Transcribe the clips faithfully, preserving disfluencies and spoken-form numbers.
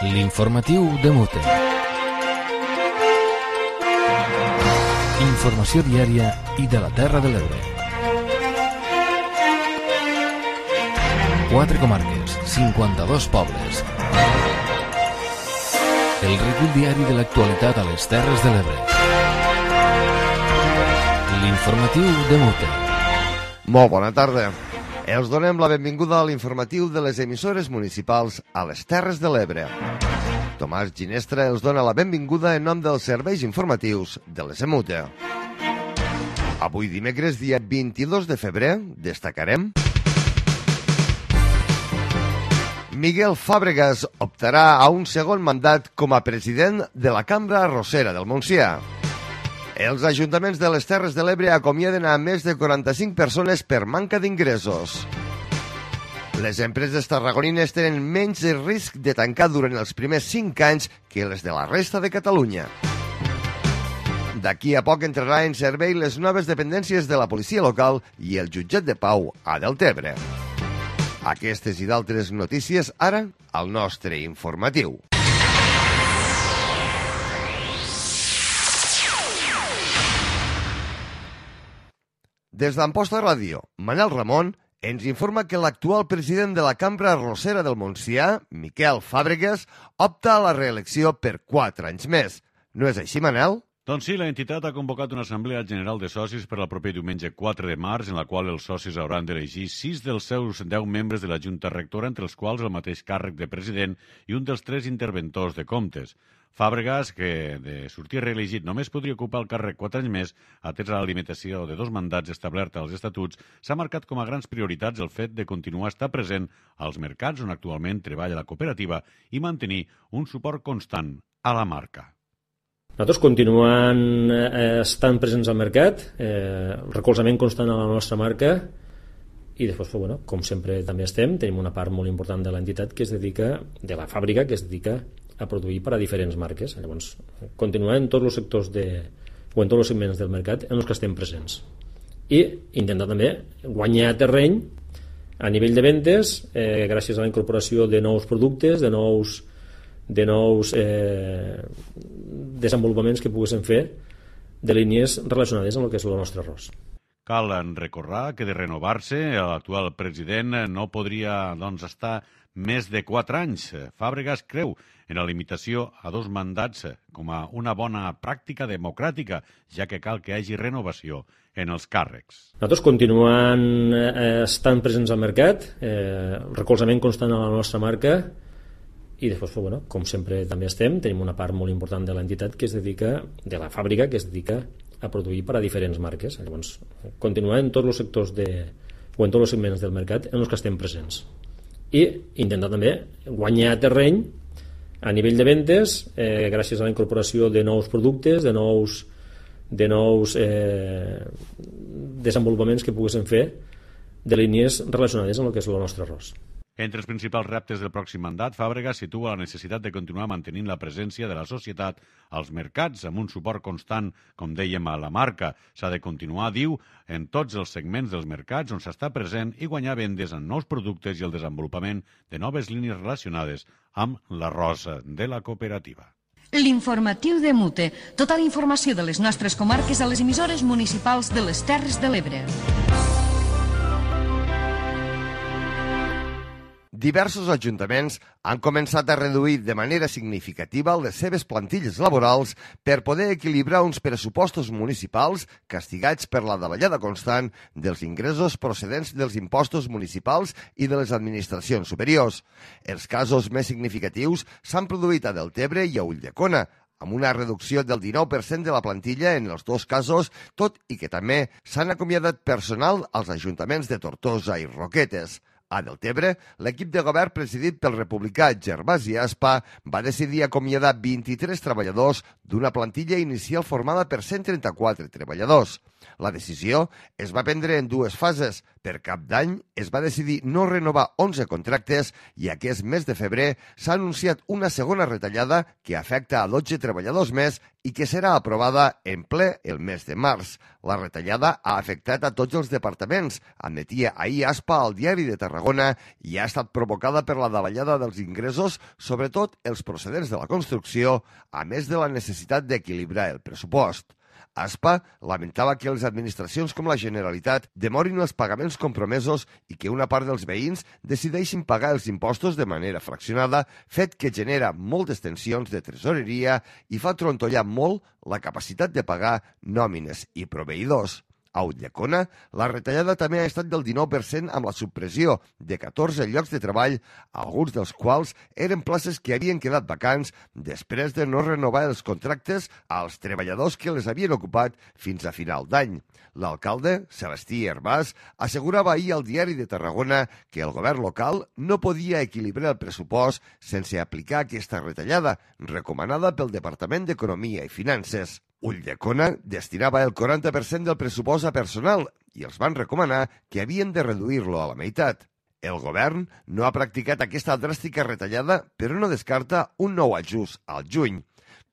L'informatiu de Mute. Informació diària i de la Terra de l'Ebre. Quatre comarques, cinquanta-dos pobles. El recull diari de l'actualitat a les Terres de l'Ebre. L'informatiu de Mute. Molt bona tarda. Els donem la benvinguda a l'informatiu de les emissores municipals a les Terres de l'Ebre. Tomàs Ginestra els dona la benvinguda en nom dels serveis informatius de les EMUTE. Avui dimecres, dia vint-i-dos de febrer, destacarem: Miguel Fàbregas optarà a un segon mandat com a president de la Cambra Arrossera del Montsià. Els ajuntaments de les Terres de l'Ebre acomiaden a més de quaranta-cinc persones per manca d'ingressos. Les empreses tarragonines tenen menys risc de tancar durant els primers cinc anys que les de la resta de Catalunya. D'aquí a poc entrarà en servei les noves dependències de la policia local i el jutjat de pau a Deltebre. Aquestes i d'altres notícies ara al nostre informatiu. Des d'Amposta Ràdio, Manel Ramon ens informa que l'actual president de la Cambra Arrossera del Montsià, Miquel Fàbregas, opta a la reelecció per quatre anys més. No és així, Manel? Doncs sí, l'entitat ha convocat una assemblea general de socis per al proper diumenge quatre de març, en la qual els socis hauran d'elegir sis dels seus deu membres de la Junta Rectora, entre els quals el mateix càrrec de president i un dels tres interventors de comptes. Fàbregas, que de sortir reelegit només podria ocupar el càrrec quatre anys més, atès a la limitació de dos mandats establerta als estatuts, s'ha marcat com a grans prioritats el fet de continuar a estar present als mercats on actualment treballa la cooperativa i mantenir un suport constant a la marca. Nosaltres continuem eh, estant presents al mercat, eh, recolzament constant a la nostra marca i després, bueno, com sempre també estem, tenim una part molt important de l'entitat que es dedica, de la fàbrica, que es dedica a produir per a diferents marques. Llavors, continuem en tots els sectors de, o en tots els segments del mercat en els que estem presents. I intentar també guanyar terreny a nivell de ventes eh, gràcies a la incorporació de nous productes, de nous, de nous eh, desenvolupaments que poguéssim fer de línies relacionades amb el que és el nostre arròs. Cal recordar que de renovar-se l'actual president no podria doncs, estar més de quatre anys. Fàbregas creu en la limitació a dos mandats com a una bona pràctica democràtica, ja que cal que hi hagi renovació en els càrrecs. Nosaltres continuem eh, estant presents al mercat, eh, recolzament constant a la nostra marca i després, bueno, com sempre també estem, tenim una part molt important de l'entitat que es dedica, de la fàbrica, que es dedica a produir per a diferents marques. Llavors, continuem en tots els sectors de, o en tots els segments del mercat en els que estem presents. I intentar també guanyar terreny a nivell de ventes eh, gràcies a la incorporació de nous productes, de nous, de nous eh, desenvolupaments que poguéssim fer de línies relacionades amb el que és el nostre arròs. Entre els principals reptes del pròxim mandat, Fàbregas situa la necessitat de continuar mantenint la presència de la societat als mercats amb un suport constant, com dèiem, a la marca. S'ha de continuar, diu, en tots els segments dels mercats on s'està present i guanyar vendes en nous productes i el desenvolupament de noves línies relacionades amb l'arròs de la cooperativa. L'informatiu de Mute. Tota la informació de les nostres comarques a les emissores municipals de les Terres de l'Ebre. Diversos ajuntaments han començat a reduir de manera significativa les seves plantilles laborals per poder equilibrar uns pressupostos municipals castigats per la davallada constant dels ingressos procedents dels impostos municipals i de les administracions superiors. Els casos més significatius s'han produït a Deltebre i a Ulldecona, amb una reducció del dinou per cent de la plantilla en els dos casos, tot i que també s'han acomiadat personal als ajuntaments de Tortosa i Roquetes. A Deltebre, l'equip de govern presidit pel republicà Gervasi Aspa va decidir acomiadar vint-i-tres treballadors d'una plantilla inicial formada per cent trenta-quatre treballadors. La decisió es va prendre en dues fases. Per Cap d'Any es va decidir no renovar onze contractes i aquest mes de febrer s'ha anunciat una segona retallada que afecta a dotze treballadors més i que serà aprovada en ple el mes de març. La retallada ha afectat a tots els departaments, admetia ahir Aspa al Diari de Tarragona, i ha estat provocada per la davallada dels ingressos, sobretot els procedents de la construcció, a més de la necessitat d'equilibrar el pressupost. Aspa lamentava que les administracions com la Generalitat demorin els pagaments compromesos i que una part dels veïns decideixin pagar els impostos de manera fraccionada, fet que genera moltes tensions de tresoreria i fa trontollar molt la capacitat de pagar nòmines i proveïdors. A Ulldecona, la retallada també ha estat del dinou per cent amb la supressió de catorze llocs de treball, alguns dels quals eren places que havien quedat vacants després de no renovar els contractes als treballadors que les havien ocupat fins a final d'any. L'alcalde, Celestí Hervàs, assegurava ahir al Diari de Tarragona que el govern local no podia equilibrar el pressupost sense aplicar aquesta retallada, recomanada pel Departament d'Economia i Finances. Ulldecona destinava el quaranta per cent del pressupost a personal i els van recomanar que havien de reduir-lo a la meitat. El govern no ha practicat aquesta dràstica retallada, però no descarta un nou ajust al juny.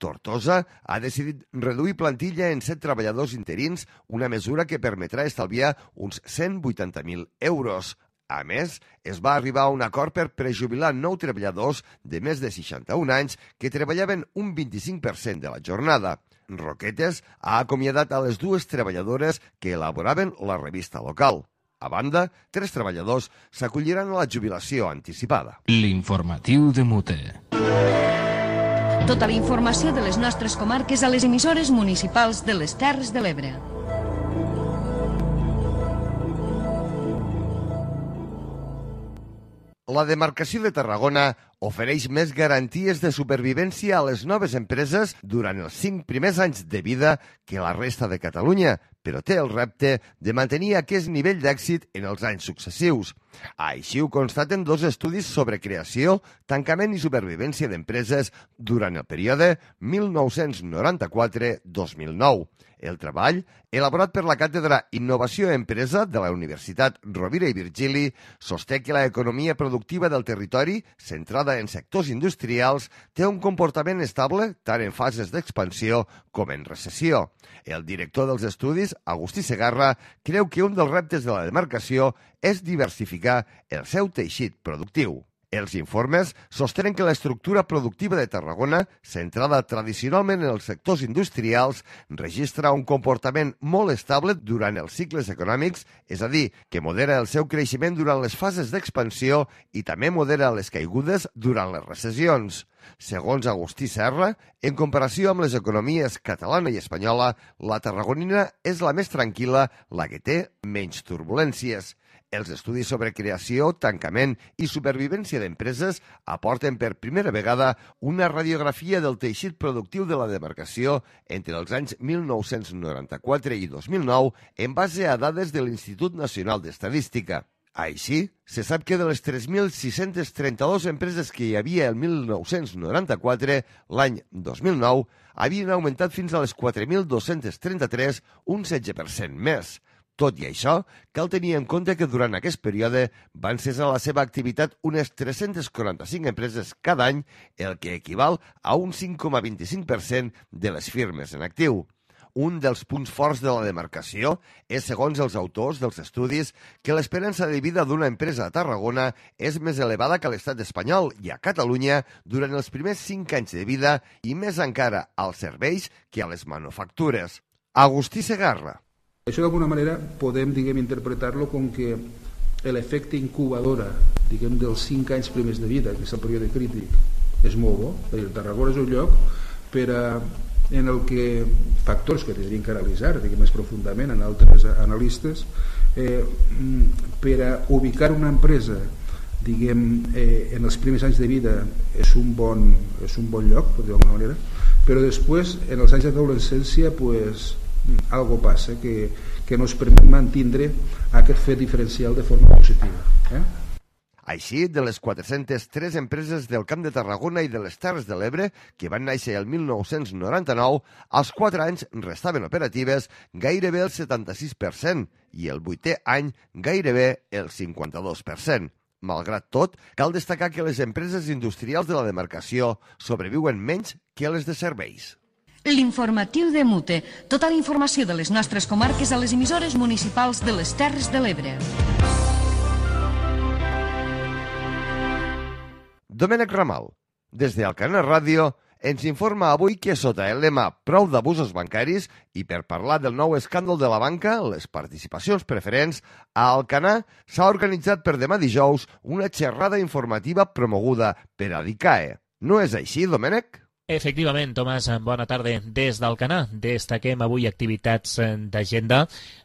Tortosa ha decidit reduir plantilla en set treballadors interins, una mesura que permetrà estalviar uns cent vuitanta mil euros. A més, es va arribar a un acord per prejubilar nou treballadors de més de seixanta-un anys que treballaven un vint-i-cinc per cent de la jornada. Roquetes ha acomiadat a les dues treballadores que elaboraven la revista local. A banda, tres treballadors s'acolliran a la jubilació anticipada. L'informatiu de Mute. Tota la informació de les nostres comarques a les emissores municipals de les Terres de l'Ebre. La demarcació de Tarragona ofereix més garanties de supervivència a les noves empreses durant els cinc primers anys de vida que la resta de Catalunya, però té el repte de mantenir aquest nivell d'èxit en els anys successius. Així ho constaten dos estudis sobre creació, tancament i supervivència d'empreses durant el període mil nou-cents noranta-quatre a dos mil nou. El treball, elaborat per la Càtedra Innovació Empresa de la Universitat Rovira i Virgili, sosté que l'economia productiva del territori, centrada en sectors industrials, té un comportament estable tant en fases d'expansió com en recessió. El director dels estudis, Agustí Segarra, creu que un dels reptes de la demarcació és diversificar el seu teixit productiu. Els informes sostenen que l'estructura productiva de Tarragona, centrada tradicionalment en els sectors industrials, registra un comportament molt estable durant els cicles econòmics, és a dir, que modera el seu creixement durant les fases d'expansió i també modera les caigudes durant les recessions. Segons Agustí Serra, en comparació amb les economies catalana i espanyola, la tarragonina és la més tranquil·la, la que té menys turbulències. Els estudis sobre creació, tancament i supervivència d'empreses aporten per primera vegada una radiografia del teixit productiu de la demarcació entre els anys mil nou-cents noranta-quatre i dos mil nou en base a dades de l'Institut Nacional d'Estadística. Així, se sap que de les tres mil sis-cents trenta-dues empreses que hi havia el mil nou-cents noranta-quatre, l'any dos mil nou havien augmentat fins a les quatre mil dos-cents trenta-tres, un setze per cent més. Tot i això, cal tenir en compte que durant aquest període van cessar la seva activitat unes tres-centes quaranta-cinc empreses cada any, el que equival a un cinc coma vint-i-cinc per cent de les firmes en actiu. Un dels punts forts de la demarcació és, segons els autors dels estudis, que l'esperança de vida d'una empresa a Tarragona és més elevada que a l'estat espanyol i a Catalunya durant els primers cinc anys de vida i més encara als serveis que a les manufactures. Agustí Segarra. Això d'alguna manera podem, diguem, interpretar-lo com que l'efecte incubadora, diguem, dels cinc anys primers de vida, que és el període crític, és molt bo. El Tarragona és un lloc per a, en el que factors que tindrien que analitzar, diguem, més profundament en altres analistes, eh, per a ubicar una empresa, diguem, eh, en els primers anys de vida és un bon, és un bon lloc, per dir d'alguna manera, però després, en els anys d'adolescència, pues, algo passa que, que no es permet mantindre aquest fet diferencial de forma positiva. Eh? Així, de les quatre-centes tres empreses del Camp de Tarragona i de les Terres de l'Ebre, que van néixer el mil nou-cents noranta-nou, als quatre anys restaven operatives gairebé el setanta-sis per cent i el vuitè any gairebé el cinquanta-dos per cent. Malgrat tot, cal destacar que les empreses industrials de la demarcació sobreviuen menys que les de serveis. L'informatiu de Mute. Tota la informació de les nostres comarques a les emissores municipals de les Terres de l'Ebre. Domènec Ramal, des d'Alcanar Ràdio, ens informa avui que sota el lema Prou d'abusos bancaris i per parlar del nou escàndol de la banca, les participacions preferents, a Alcanar s'ha organitzat per demà dijous una xerrada informativa promoguda per Adicae. No és així, Domènec? Efectivament, Tomàs, bona tarda. Des d'Alcanar destaquem avui activitats d'agenda.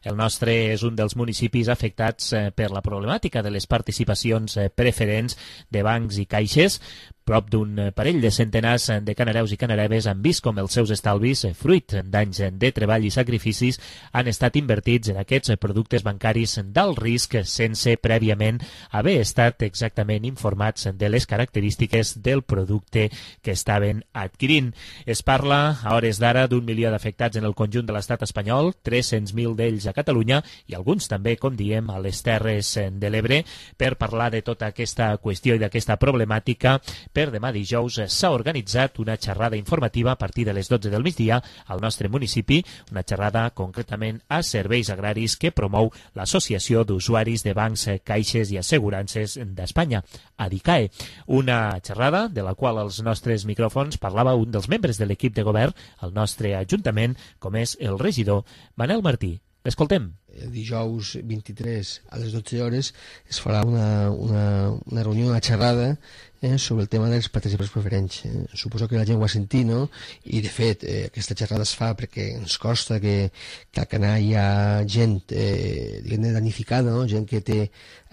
El nostre és un dels municipis afectats per la problemàtica de les participacions preferents de bancs i caixes. Prop d'un parell de centenars de canareus i canareves han vist com els seus estalvis, fruit d'anys de treball i sacrificis, han estat invertits en aquests productes bancaris d'alt risc sense prèviament haver estat exactament informats de les característiques del producte que estaven adquirint. Es parla a hores d'ara d'un milió d'afectats en el conjunt de l'estat espanyol, tres-cents mil d'ells a Catalunya i alguns també, com diem, a les Terres de l'Ebre. Per parlar de tota aquesta qüestió i d'aquesta problemàtica, per demà dijous s'ha organitzat una xerrada informativa a partir de les dotze del migdia al nostre municipi, una xerrada concretament a serveis agraris que promou l'Associació d'Usuaris de Bancs, Caixes i Assegurances d'Espanya, Adicae. Una xerrada de la qual als nostres micròfons parlava un dels membres de l'equip de govern al nostre Ajuntament, com és el regidor Manel Martí. L'escoltem. El dijous vint-i-tres a les dotze hores es farà una, una, una reunió, una xerrada eh, sobre el tema dels participants preferents. Eh, suposo que la gent ho ha sentit, no? I de fet, eh, aquesta xerrada es fa perquè ens costa que, que al Canà hi ha gent eh, danificada, no? Gent que té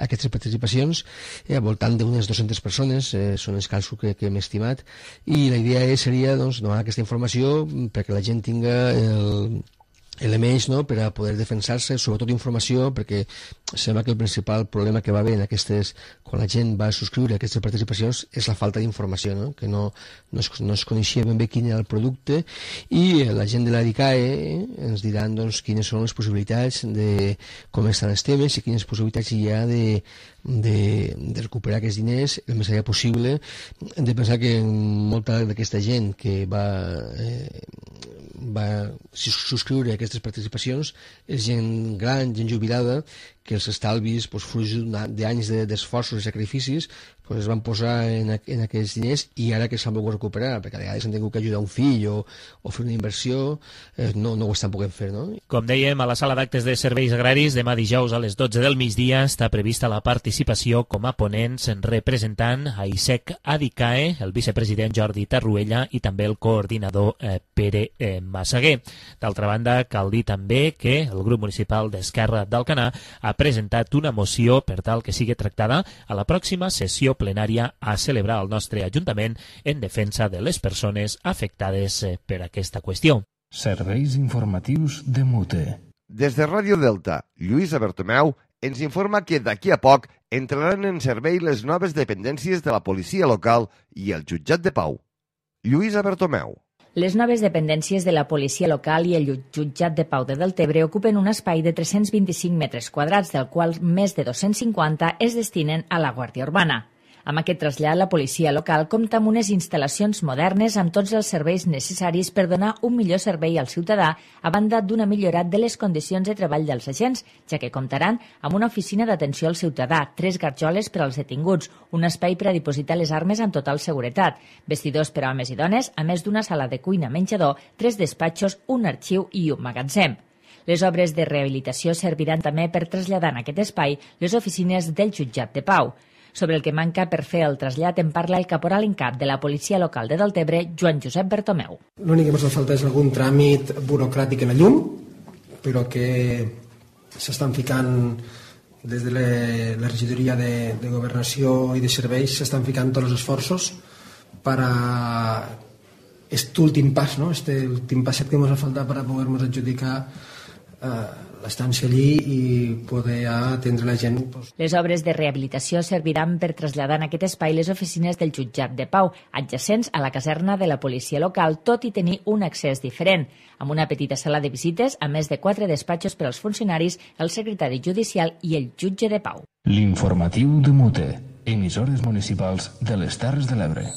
aquestes participacions, eh, al voltant d'unes dues-centes persones, eh, són els càlculs que, que hem estimat, i la idea seria doncs, donar aquesta informació perquè la gent tinga el elements, no?, per a poder defensar-se, sobretot informació, perquè sembla que el principal problema que va haver en aquestes, quan la gent va subscriure aquestes participacions, és la falta d'informació, no?, que no, no, es, no es coneixia ben bé quin era el producte, i la gent de l'Adicae eh, ens diran doncs, quines són les possibilitats de com estan els temes i quines possibilitats hi ha de, de, de recuperar aquests diners el més allà possible. Hem de pensar que molta d'aquesta gent que va eh, va subscriure aquestes participacions és gent gran, gent jubilada, que els estalvis, doncs, fruit d'anys d'esforços i sacrificis, doncs, es van posar en, en aquests diners i ara que s'han volgut recuperar, perquè a vegades han tingut que ajudar un fill o, o fer una inversió, eh, no, no ho estan podent fer, no? Com dèiem, a la sala d'actes de serveis agraris, demà dijous a les dotze del migdia està prevista la participació com a ponents representant a I S E C Adicae, el vicepresident Jordi Tarruella i també el coordinador eh, Pere eh, Massaguer. D'altra banda, cal dir també que el grup municipal d'Esquerra d'Alcanar ha presentat una moció per tal que sigui tractada a la pròxima sessió plenària a celebrar al nostre Ajuntament en defensa de les persones afectades per aquesta qüestió. Serveis informatius de Mute. Des de Ràdio Delta, Lluïsa Bertomeu ens informa que d'aquí a poc entraran en servei les noves dependències de la policia local i el jutjat de pau. Lluïsa Bertomeu. Les noves dependències de la policia local i el jutjat de pau de Deltebre ocupen un espai de tres-cents vint-i-cinc metres quadrats, del qual més de dos-cents cinquanta es destinen a la Guàrdia Urbana. Amb aquest trasllat, la policia local compta amb unes instal·lacions modernes amb tots els serveis necessaris per donar un millor servei al ciutadà, a banda d'una millorat de les condicions de treball dels agents, ja que comptaran amb una oficina d'atenció al ciutadà, tres garjoles per als detinguts, un espai per a dipositar les armes amb total seguretat, vestidors per a homes i dones, a més d'una sala de cuina menjador, tres despatxos, un arxiu i un magatzem. Les obres de rehabilitació serviran també per traslladar en aquest espai les oficines del jutjat de pau. Sobre el que manca per fer el trasllat en parla el caporal en cap de la policia local de Deltebre, Joan Josep Bertomeu. L'únic que ens falta és algun tràmit burocràtic en la llum, però que s'estan ficant des de la regidoria de, de Governació i de Serveis, s'estan ficant tots els esforços per a aquest últim pas, no? Este últim passet que ens ha faltat per a poder-nos adjudicar eh, l'estància allí i poder atendre la gent. Les obres de rehabilitació serviran per traslladar en aquest espai les oficines del jutjat de pau, adjacents a la caserna de la policia local, tot i tenir un accés diferent, amb una petita sala de visites, a més de quatre despatxos per als funcionaris, el secretari judicial i el jutge de pau. L'informatiu de Mute, emissores municipals de les Terres de l'Ebre.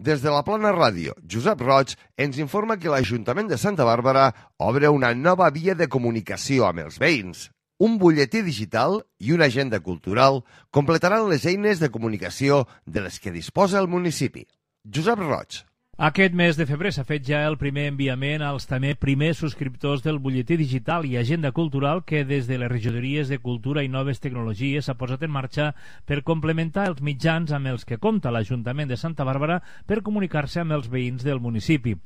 Des de la Plana Ràdio, Josep Roig ens informa que l'Ajuntament de Santa Bàrbara obre una nova via de comunicació amb els veïns. Un butlletí digital i una agenda cultural completaran les eines de comunicació de les que disposa el municipi. Josep Roig. Aquest mes de febrer s'ha fet ja el primer enviament als també primers subscriptors del butlletí digital i agenda cultural que des de les regidories de Cultura i Noves Tecnologies s'ha posat en marxa per complementar els mitjans amb els que compta l'Ajuntament de Santa Bàrbara per comunicar-se amb els veïns del municipi.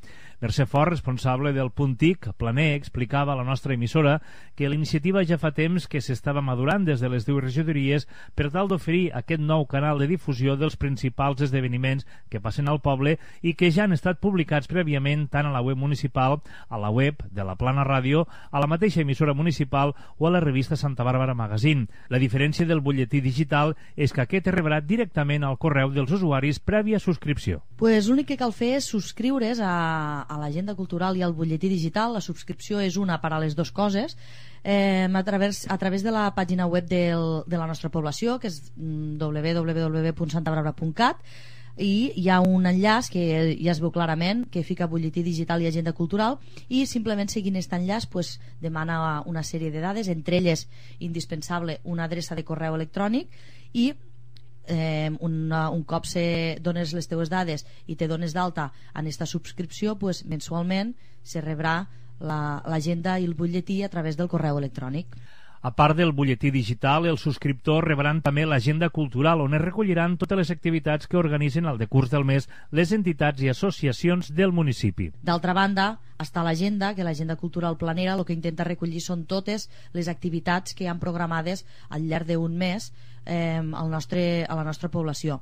Mercè Fort, responsable del punt T I C, Planer, explicava a la nostra emissora que la iniciativa ja fa temps que s'estava madurant des de les dues regidories per tal d'oferir aquest nou canal de difusió dels principals esdeveniments que passen al poble i que ja han estat publicats prèviament tant a la web municipal, a la web de la Plana Ràdio, a la mateixa emissora municipal o a la revista Santa Bàrbara Magazine. La diferència del butlletí digital és que aquest es rebrà directament al correu dels usuaris prèvia subscripció. Pues l'únic que cal fer és subscriure's a, a l'agenda cultural i al butlletí digital. La subscripció és una per a les dues coses. Eh, a, través, a través de la pàgina web del, de la nostra població, que és w w w punt santa bàrbara punt cat, i hi ha un enllaç que ja es veu clarament que fica butlletí digital i agenda cultural, i simplement seguint aquest enllaç pues, demana una sèrie de dades, entre elles indispensable una adreça de correu electrònic, i eh, una, un cop se dones les teues dades i te dones d'alta en aquesta subscripció, pues, mensualment se rebrà l'agenda la, i el butlletí a través del correu electrònic. A part del butlletí digital, els subscriptors rebran també l'agenda cultural, on es recolliran totes les activitats que organitzen al decurs del mes les entitats i associacions del municipi. D'altra banda, està l'agenda, que l'agenda cultural planera el que intenta recollir són totes les activitats que hi han programades al llarg d'un mes eh, al nostre, a la nostra població.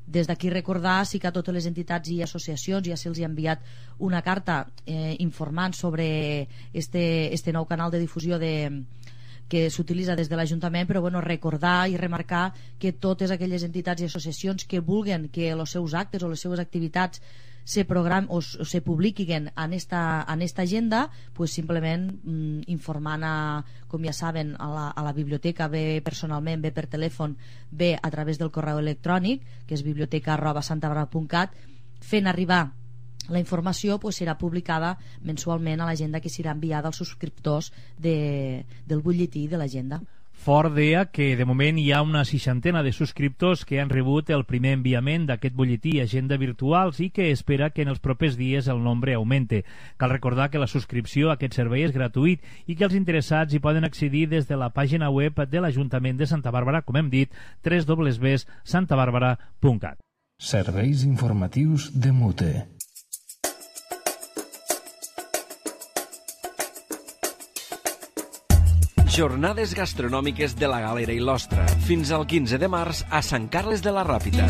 Des d'aquí recordar sí que a totes les entitats i associacions ja se'ls ha enviat una carta eh, informant sobre este, este nou canal de difusió de que s'utilitza des de l'Ajuntament, però bueno, recordar i remarcar que totes aquelles entitats i associacions que vulguen que els seus actes o les seues activitats se program o, o se publiquin en esta, en esta agenda, pues simplement mm, informant a, com ja saben, a la, a la biblioteca, bé personalment, bé per telèfon, bé a través del correu electrònic, que és biblioteca arroba santa bàrbara punt cat, fent arribar la informació pues, serà publicada mensualment a l'agenda que serà enviada als subscriptors de, del butlletí de l'agenda. Fort deia que de moment hi ha una seixantena de subscriptors que han rebut el primer enviament d'aquest butlletí i agenda virtuals i que espera que en els propers dies el nombre augmente. Cal recordar que la subscripció a aquest servei és gratuït i que els interessats hi poden accedir des de la pàgina web de l'Ajuntament de Santa Bàrbara, com hem dit, w w w punt santa bàrbara punt cat. Serveis informatius de Mute. Jornades gastronòmiques de la Galera i l'Ostra, fins al quinze de març a Sant Carles de la Ràpita.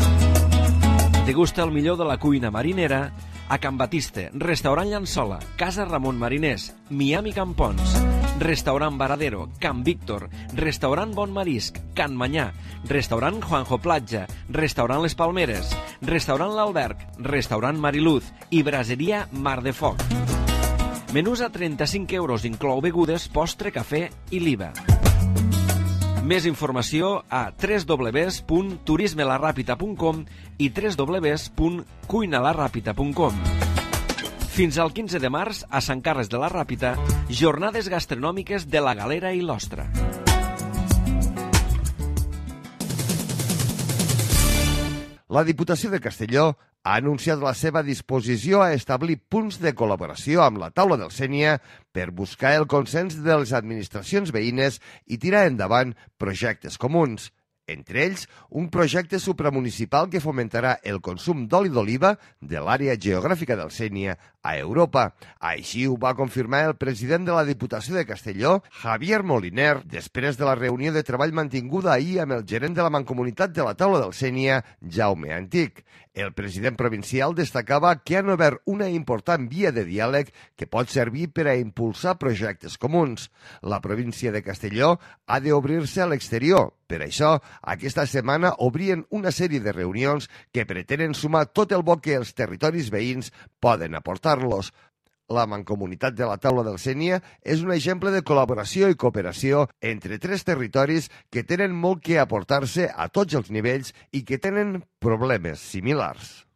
Degusta el millor de la cuina marinera a Can Batiste, Restaurant Llançola, Casa Ramon Mariners, Miami Campons, Restaurant Varadero, Can Víctor, Restaurant Bon Marisc, Can Manyà, Restaurant Juanjo Platja, Restaurant Les Palmeres, Restaurant L'Alberg, Restaurant Mariluz i Braseria Mar de Foc. Menús a trenta-cinc euros, inclou begudes, postre, cafè i l'I V A. Més informació a w w w punt turisme la ràpita punt com i w w w punt cuina la ràpita punt com. Fins al quinze de març, a Sant Carles de la Ràpita, jornades gastronòmiques de la Galera i l'Ostra. La Diputació de Castelló ha anunciat la seva disposició a establir punts de col·laboració amb la taula del Sénia per buscar el consens de les administracions veïnes i tirar endavant projectes comuns. Entre ells, un projecte supramunicipal que fomentarà el consum d'oli d'oliva de l'àrea geogràfica del Sénia a Europa. Així ho va confirmar el president de la Diputació de Castelló, Javier Moliner, després de la reunió de treball mantinguda ahir amb el gerent de la Mancomunitat de la Taula del Sénia, Jaume Antic. El president provincial destacava que han obert una important via de diàleg que pot servir per a impulsar projectes comuns. La província de Castelló ha d'obrir-se a l'exterior. Per això, aquesta setmana obrien una sèrie de reunions que pretenen sumar tot el bo que els territoris veïns poden aportar-los. La Mancomunitat de la Taula del Sénia és un exemple de col·laboració i cooperació entre tres territoris que tenen molt que aportar-se a tots els nivells i que tenen problemes similars.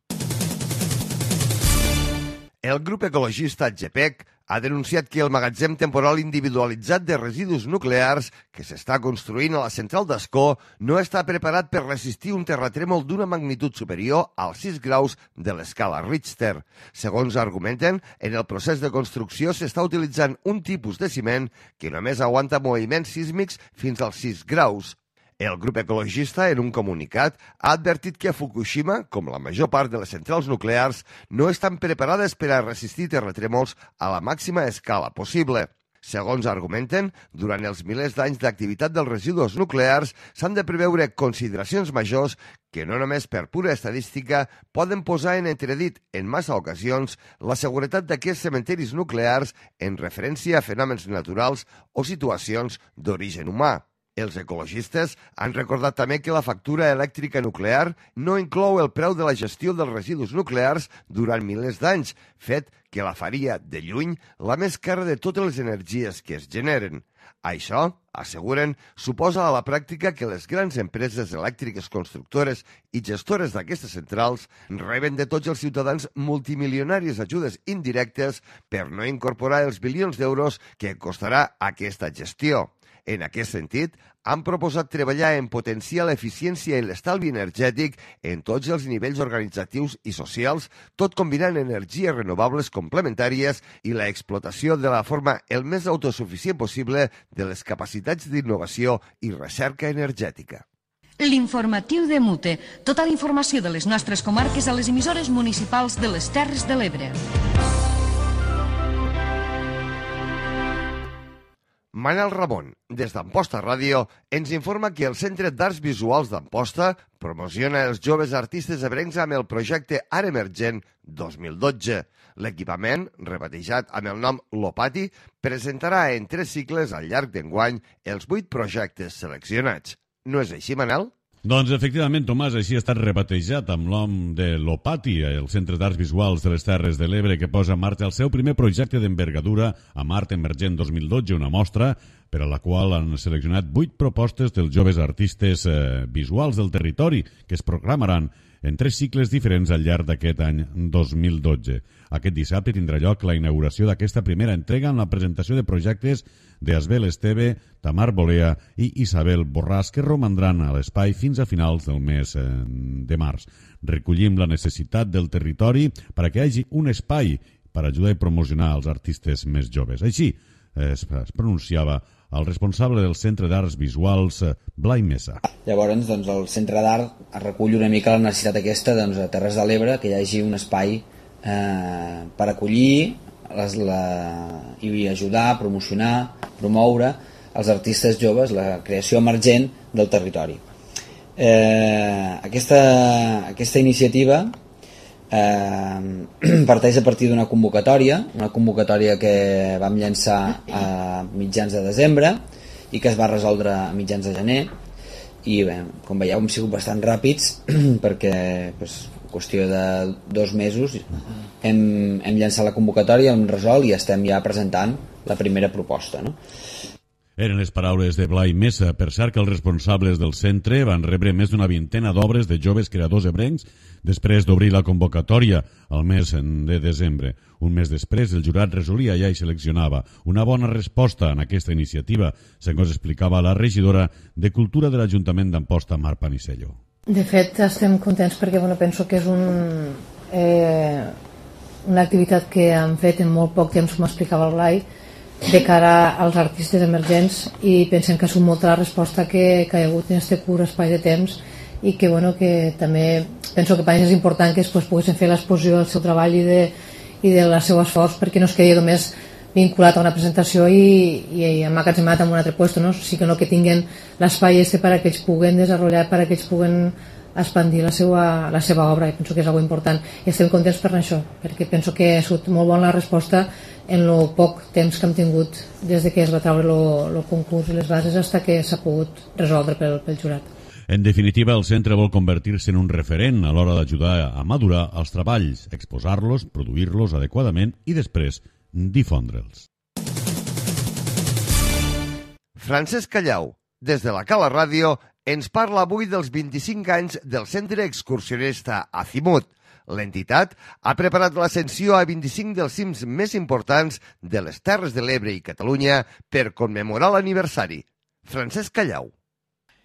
El grup ecologista GEPEC ha denunciat que el magatzem temporal individualitzat de residus nuclears que s'està construint a la central d'Ascó no està preparat per resistir un terratrèmol d'una magnitud superior als sis graus de l'escala Richter. Segons argumenten, en el procés de construcció s'està utilitzant un tipus de ciment que només aguanta moviments sísmics fins als sis graus. El grup ecologista, en un comunicat, ha advertit que a Fukushima, com la major part de les centrals nuclears, no estan preparades per a resistir terratrèmols a la màxima escala possible. Segons argumenten, durant els milers d'anys d'activitat dels residus nuclears s'han de preveure consideracions majors que no només per pura estadística poden posar en entredit en massa ocasions la seguretat d'aquests cementeris nuclears en referència a fenòmens naturals o situacions d'origen humà. Els ecologistes han recordat també que la factura elèctrica nuclear no inclou el preu de la gestió dels residus nuclears durant milers d'anys, fet que la faria, de lluny, la més cara de totes les energies que es generen. Això, asseguren, suposa a la pràctica que les grans empreses elèctriques constructores i gestores d'aquestes centrals reben de tots els ciutadans multimilionàries ajudes indirectes per no incorporar els bilions d'euros que costarà aquesta gestió. En aquest sentit, han proposat treballar en potenciar l'eficiència i l'estalvi energètic en tots els nivells organitzatius i socials, tot combinant energies renovables complementàries i la explotació de la forma el més autosuficient possible de les capacitats d'innovació i recerca energètica. L'informatiu de Mute. Tota la informació de les nostres comarques a les emissores municipals de les Terres de l'Ebre. Manel Ramon, des d'Amposta Ràdio, ens informa que el Centre d'Arts Visuals d'Amposta promociona els joves artistes ebrencs amb el projecte Art Emergent dos mil dotze. L'equipament, rebatejat amb el nom Lopati, presentarà en tres cicles al llarg d'enguany els vuit projectes seleccionats. No és així, Manel? Doncs, efectivament, Tomàs, així ha estat rebatejat amb nom de Lopati, el Centre d'Arts Visuals de les Terres de l'Ebre, que posa en marxa el seu primer projecte d'envergadura amb Art Emergent dos mil dotze, una mostra per a la qual han seleccionat vuit propostes dels joves artistes eh, visuals del territori que es programaran en tres cicles diferents al llarg d'aquest any dos mil dotze. Aquest dissabte tindrà lloc la inauguració d'aquesta primera entrega amb la presentació de projectes d'Asbel Esteve, Tamar Bolea i Isabel Borràs, que romandran a l'espai fins a finals del mes de març. Recollim la necessitat del territori per a que hi hagi un espai per ajudar i promocionar els artistes més joves. Així es pronunciava el responsable del Centre d'Arts Visuals, Blai Mesa. Llavors, doncs, el Centre d'Art recull una mica la necessitat aquesta doncs, a Terres de l'Ebre, que hi hagi un espai eh, per acollir les, la, i ajudar, promocionar, promoure els artistes joves, la creació emergent del territori. Eh, aquesta, aquesta iniciativa eh, parteix a partir d'una convocatòria, una convocatòria que vam llançar a mitjans de desembre i que es va resoldre a mitjans de gener, i bé, com veieu hem sigut bastant ràpids perquè pues, en qüestió de dos mesos hem, hem llançat la convocatòria, hem resolt i estem ja presentant la primera proposta, no? Eren les paraules de Blai Mesa. Per cert que els responsables del centre van rebre més d'una vintena d'obres de joves creadors ebrencs després d'obrir la convocatòria al mes de desembre. Un mes després, el jurat resolia ja i seleccionava una bona resposta en aquesta iniciativa, segons explicava la regidora de Cultura de l'Ajuntament d'Amposta, Mar Panisello. De fet, estem contents perquè bueno, penso que és un, eh, una activitat que han fet en molt poc temps, com explicava el Blai, de cara als artistes emergents, i pensem que ha sigut molta la resposta que, que hi ha hagut en aquest curt espai de temps, i que, bueno, que també penso que per ells és important que després poguessin fer l'exposició del seu treball i, de, i del seu esforç, perquè no es quedi només vinculat a una presentació i, i, i emmagatzemat en un altre lloc, no? Sí que no, que tinguin l'espai este per a que ells puguen desenvolupar, per a que ells puguen expandir la seva, la seva obra, i penso que és algo important, i estem contents per això, perquè penso que ha sigut molt bona la resposta en el poc temps que hem tingut des de que es va treure el concurs i les bases fins que s'ha pogut resoldre pel, pel jurat. En definitiva, el centre vol convertir-se en un referent a l'hora d'ajudar a madurar els treballs, exposar-los, produir-los adequadament i després difondre'ls. Francesc Callau, des de la Cala Ràdio, ens parla avui dels vint-i-cinc anys del Centre Excursionista Azimut. L'entitat ha preparat l'ascensió a vint-i-cinc dels cims més importants de les Terres de l'Ebre i Catalunya per commemorar l'aniversari. Francesc Callau.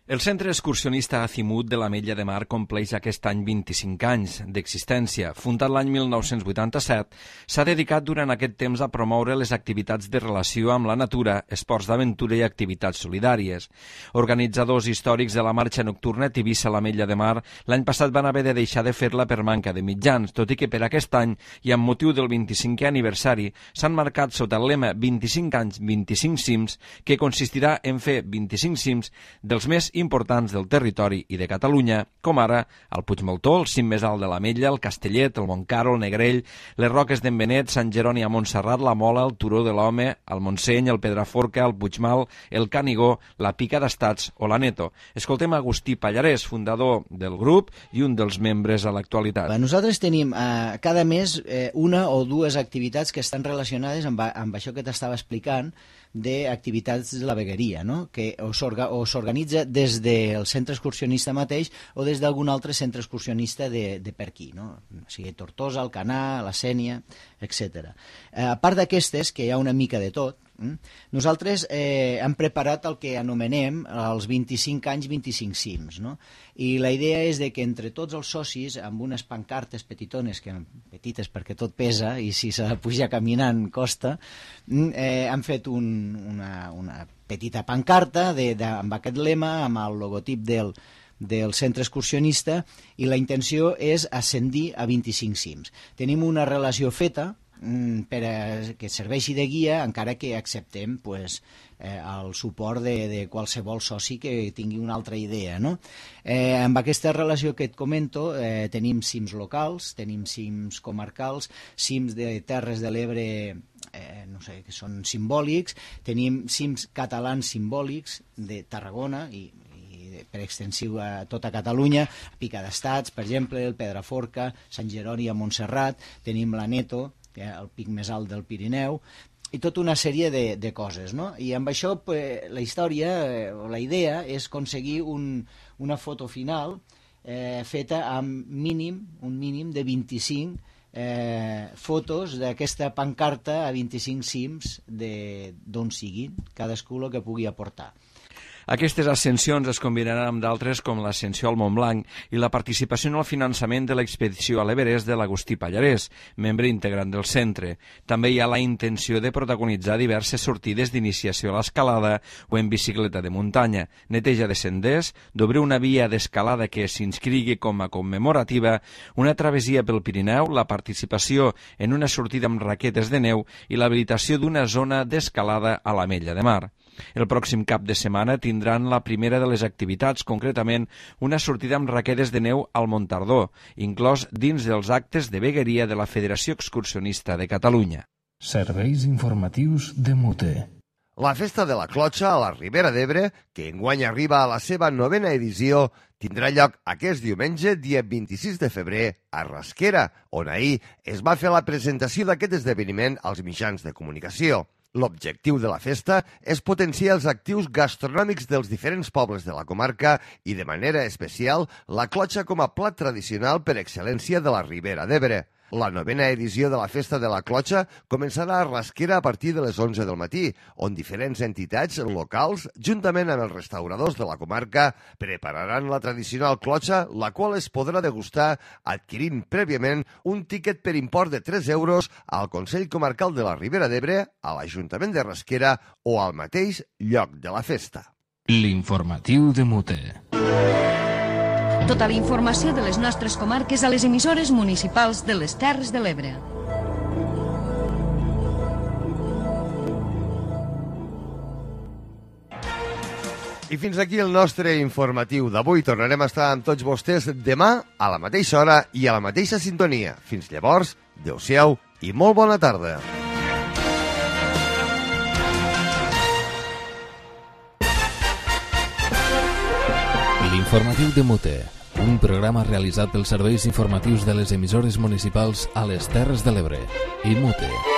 El Centre Excursionista Azimut de l'Ametlla de Mar compleix aquest any vint-i-cinc anys d'existència. Fundat l'any mil nou-cents vuitanta-set, s'ha dedicat durant aquest temps a promoure les activitats de relació amb la natura, esports d'aventura i activitats solidàries. Organitzadors històrics de la marxa nocturna Tivissa a l'Ametlla de Mar l'any passat van haver de deixar de fer-la per manca de mitjans, tot i que per aquest any i amb motiu del vint-i-cinquè aniversari s'han marcat sota el lema vint-i-cinc anys, vint-i-cinc cims, que consistirà en fer vint-i-cinc cims dels més importants del territori i de Catalunya, com ara el Puigmaltó, el cim més alt de l'Ametlla, el Castellet, el Montcaro, el Negrell, les Roques d'en Benet, Sant Jeroni a Montserrat, la Mola, el Turó de l'Home, el Montseny, el Pedraforca, el Puigmal, el Canigó, la Pica d'Estats o l'Aneto. Escoltem Agustí Pallarès, fundador del grup i un dels membres a l'actualitat. Nosaltres tenim eh, cada mes eh, una o dues activitats que estan relacionades amb, amb això que t'estava explicant, d'activitats de la vegueria, no? Que o s'organitza des del centre excursionista mateix o des d'algun altre centre excursionista de, de per aquí, no? O sigui, Tortosa, Alcanar, la Sénia, etcètera. Eh, a part d'aquestes, que hi ha una mica de tot, nosaltres eh, hem preparat el que anomenem els vint-i-cinc anys, vint-i-cinc cims, no? I la idea és de que entre tots els socis, amb unes pancartes petitones, que petites perquè tot pesa i si s'ha de pujar caminant costa, eh, han fet un, una, una petita pancarta de, de, amb aquest lema, amb el logotip del, del centre excursionista, i la intenció és ascendir a vint-i-cinc cims. Tenim una relació feta per a que serveixi de guia, encara que acceptem pues, eh, el suport de, de qualsevol soci que tingui una altra idea, no? Eh, amb aquesta relació que et comento eh, tenim cims locals, tenim cims comarcals, cims de Terres de l'Ebre eh, no sé, que són simbòlics, tenim cims catalans simbòlics de Tarragona i per extensiu a tota Catalunya, Pica d'Estats, per exemple, el Pedraforca, Sant Jeroni a Montserrat, tenim l'Aneto, que és el pic més alt del Pirineu, i tota una sèrie de, de coses, no? I amb això pues, la història, o la idea, és aconseguir un, una foto final eh, feta amb mínim, un mínim de vint-i-cinc eh, fotos d'aquesta pancarta a vint-i-cinc cims d'on siguin, cadascú el que pugui aportar. Aquestes ascensions es combinaran amb d'altres com l'ascensió al Montblanc i la participació en el finançament de l'expedició a l'Everest de l'Agustí Pallarès, membre integrant del centre. També hi ha la intenció de protagonitzar diverses sortides d'iniciació a l'escalada o en bicicleta de muntanya, neteja de senders, d'obrir una via d'escalada que s'inscrigui com a commemorativa, una travessia pel Pirineu, la participació en una sortida amb raquetes de neu i l'habilitació d'una zona d'escalada a l'Ametlla de Mar. El pròxim cap de setmana tindran la primera de les activitats, concretament una sortida amb raquetes de neu al Montardó, inclòs dins dels actes de vegueria de la Federació Excursionista de Catalunya. Serveis informatius de Mute. La Festa de la Clotxa a la Ribera d'Ebre, que enguany arriba a la seva novena edició, tindrà lloc aquest diumenge, dia vint-i-sis de febrer, a Rasquera, on ahir es va fer la presentació d'aquest esdeveniment als mitjans de comunicació. L'objectiu de la festa és potenciar els actius gastronòmics dels diferents pobles de la comarca i, de manera especial, la clotxa com a plat tradicional per excel·lència de la Ribera d'Ebre. La novena edició de la Festa de la Clotxa començarà a Rasquera a partir de les onze del matí, on diferents entitats locals, juntament amb els restauradors de la comarca, prepararan la tradicional clotxa, la qual es podrà degustar adquirint prèviament un tiquet per import de tres euros al Consell Comarcal de la Ribera d'Ebre, a l'Ajuntament de Rasquera o al mateix lloc de la festa. L'informatiu de Mute. Tota la informació de les nostres comarques a les emissores municipals de les Terres de l'Ebre. I fins aquí el nostre informatiu d'avui. Tornarem a estar amb tots vostès demà a la mateixa hora i a la mateixa sintonia. Fins llavors, adeu-siau i molt bona tarda. L'informatiu de Mute, un programa realitzat pels serveis informatius de les emissores municipals a les Terres de l'Ebre i Mute.